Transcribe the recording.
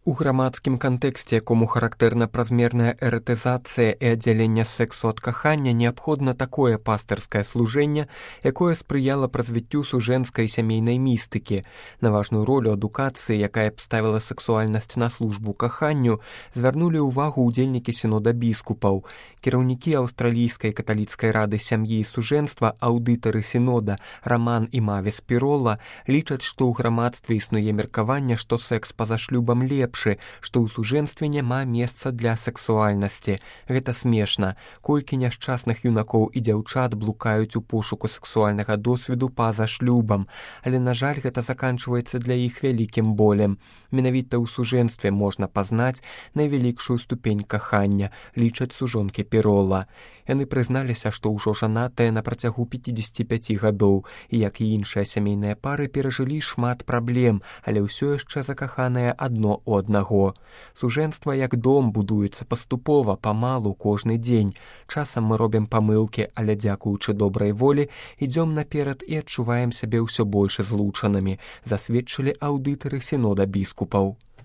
У грамадскім кантэксце, якому характэрна празмерная эратызацыя і аддзяленне сэксу ад кахання, неабходна такое пастырскае служэнне, якое спрыяла б развіццю сужэнскай сямейнай містыкі. На важную ролю адукацыі, якая б ставіла сэксуальнасць на службу каханню, звярнулі ўвагу ўдзельнікі сінода біскупаў. Кіраўнікі аўстралійскай каталіцкай рады сям'і і сужэнства, аўдытары сінода Раман і Мавіс Пірола лічаць, што ў грамадстве існуе меркаванне, што секс па-за шлюбам лепшы, што ў сужэнстве няма месца для сексуальнасці. Гэта смешна. Колькі няшчасных юнакоў і дзяўчат блукаюць у пошуку сексуальнага досведу па-за шлюбам, але, на жаль, гэта заканчваецца для іх вялікім болем. Менавіта ў сужэнстве можна пазнаць найвялікшую ступень кахання, лічаць сужонкі Пірола. Яны прызналіся, што ўжо жанатыя на працягу 55 гадоў і, як і іншыя сямейныя пары, перажылі шмат праблем, але ўсё яшчэ закаханыя адно ў аднаго. Сужэнства як дом будуецца паступова, памалу, кожны дзень. Часам мы робім памылкі, але, дзякуючы добрай волі, ідзём наперад і адчуваем сябе ўсё больш злучанымі, засведчылі аўдытары сінода біскупаў.